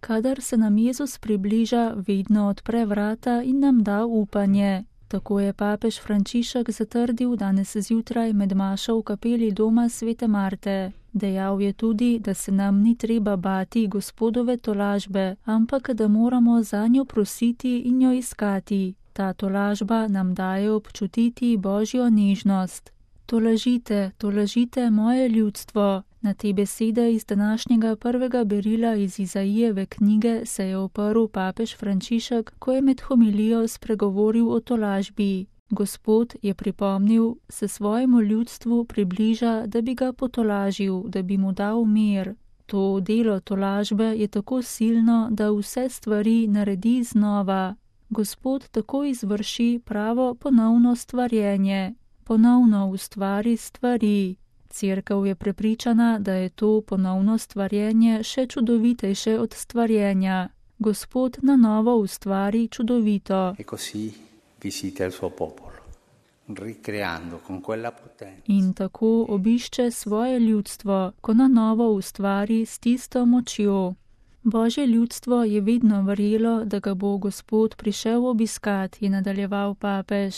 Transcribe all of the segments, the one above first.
Kadar se nam Jezus približa, vedno odpre vrata in nam da upanje. Tako je papež Frančišek zatrdil danes zjutraj med mašo v kapeli doma svete Marte. Dejal je tudi, da se nam ni treba bati Gospodove tolažbe, ampak da moramo zanjo prositi in jo iskati. Ta tolažba nam daje občutiti Božjo nežnost. Tolažite, tolažite moje ljudstvo. Na te besede iz današnjega prvega berila iz Izaijeve knjige se je oprl papež Frančišek, ko je med homilijo spregovoril o tolažbi. Gospod, je pripomnil, se svojemu ljudstvu približa, da bi ga potolažil, da bi mu dal mir. To delo tolažbe je tako silno, da vse stvari naredi znova. Gospod tako izvrši pravo ponovno stvarjenje. Ponovno ustvari stvari. Cerkev je prepričana, da je to ponovno stvarjenje še čudovitejše od stvarjenja. Gospod na novo ustvari čudovito. In tako obišče svoje ljudstvo, ko na novo ustvari s tisto močjo. Božje ljudstvo je vedno verjelo, da ga bo Gospod prišel obiskat, je nadaljeval papež.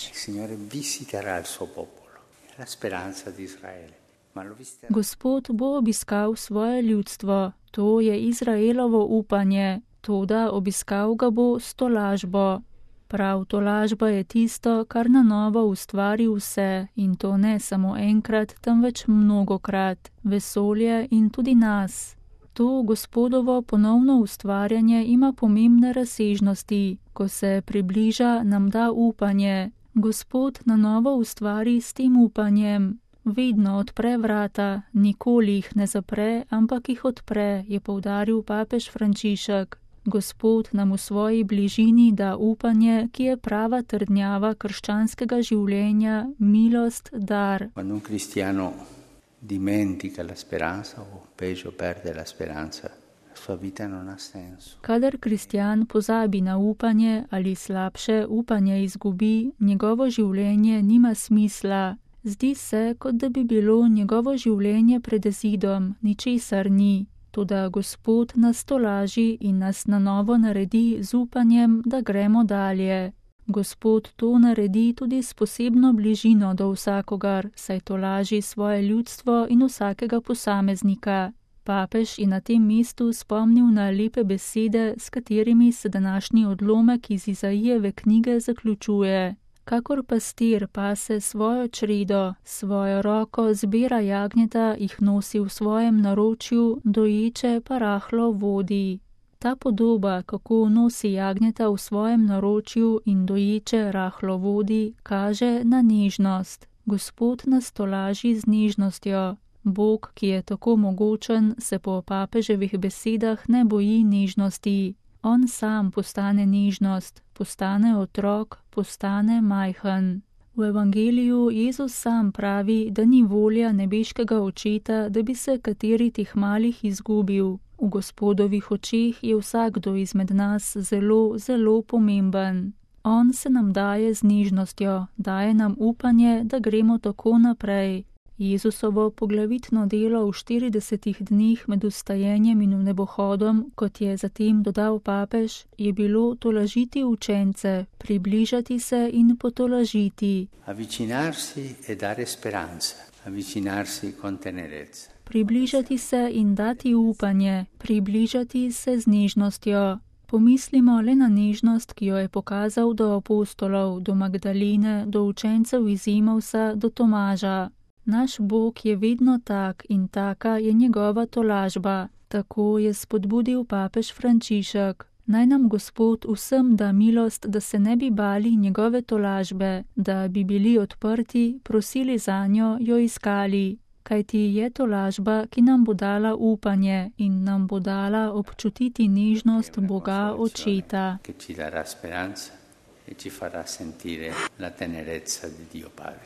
Gospod bo obiskal svoje ljudstvo, to je Izraelovo upanje, toda obiskal ga bo s tolažbo. Prav tolažba je tisto, kar na novo ustvari vse, in to ne samo enkrat, temveč mnogokrat, vesolje in tudi nas. To Gospodovo ponovno ustvarjanje ima pomembne razsežnosti. Ko se približa, nam da upanje. Gospod na novo ustvari s tem upanjem. Vedno odpre vrata, nikoli jih ne zapre, ampak jih odpre, je poudaril papež Frančišek. Gospod nam v svoji bližini da upanje, ki je prava trdnjava krščanskega življenja, milost, dar. Dimentica la speranza o peggio perde la speranza, la sua vita non ha senso. Kadar kristjan pozabi na upanje ali slabše upanje izgubi, njegovo življenje nima smisla. Zdi se, kot da bi bilo njegovo življenje pred zidom, ničesar ni. Toda Gospod nas tolaži in nas na novo naredi z upanjem, da gremo dalje. Gospod to naredi tudi s posebno bližino do vsakogar, saj tolaži svoje ljudstvo in vsakega posameznika. Papež je na tem mestu spomnil na lepe besede, s katerimi se današnji odlomek iz Izaijeve knjige zaključuje. Kakor pastir pase svojo čredo, svojo roko zbira jagnjeta, jih nosi v svojem naročju, doječe pa rahlo vodi. Ta podoba, kako nosi jagnjeta v svojem naročju in doječe rahlo vodi, kaže na nežnost. Gospod nas tolaži z nežnostjo. Bog, ki je tako mogočen, se po papeževih besedah ne boji nežnosti. On sam postane nežnost, postane otrok, postane majhen. V evangeliju Jezus sam pravi, da ni volja nebeškega očeta, da bi se kateri teh malih izgubil. V Gospodovih očeh je vsakdo izmed nas zelo, zelo pomemben. On se nam daje z nežnostjo, daje nam upanje, da gremo tako naprej. Jezusovo poglavitno delo v 40 dneh med vstajenjem in nebohodom, kot je zatem dodal papež, je bilo tolažiti učence, približati se in potolažiti. Avvicinarsi e dare speranza, avvicinarsi con tenerezza. Približati se in dati upanje, približati se z nežnostjo. Pomislimo le na nežnost, ki jo je pokazal do apostolov, do Magdaline, do učencev iz Emausa, do Tomaža. Naš Bog je vedno tak in taka je njegova tolažba. Tako je spodbudil papež Frančišek. Naj nam Gospod vsem da milost, da se ne bi bali njegove tolažbe, da bi bili odprti, prosili zanjo, jo iskali. Kajti je tolažba, ki nam bo dala upanje in nam bo dala občutiti nežnost Boga Očeta. Che ci darà speranza e ci farà sentire la tenerezza di Dio Padre.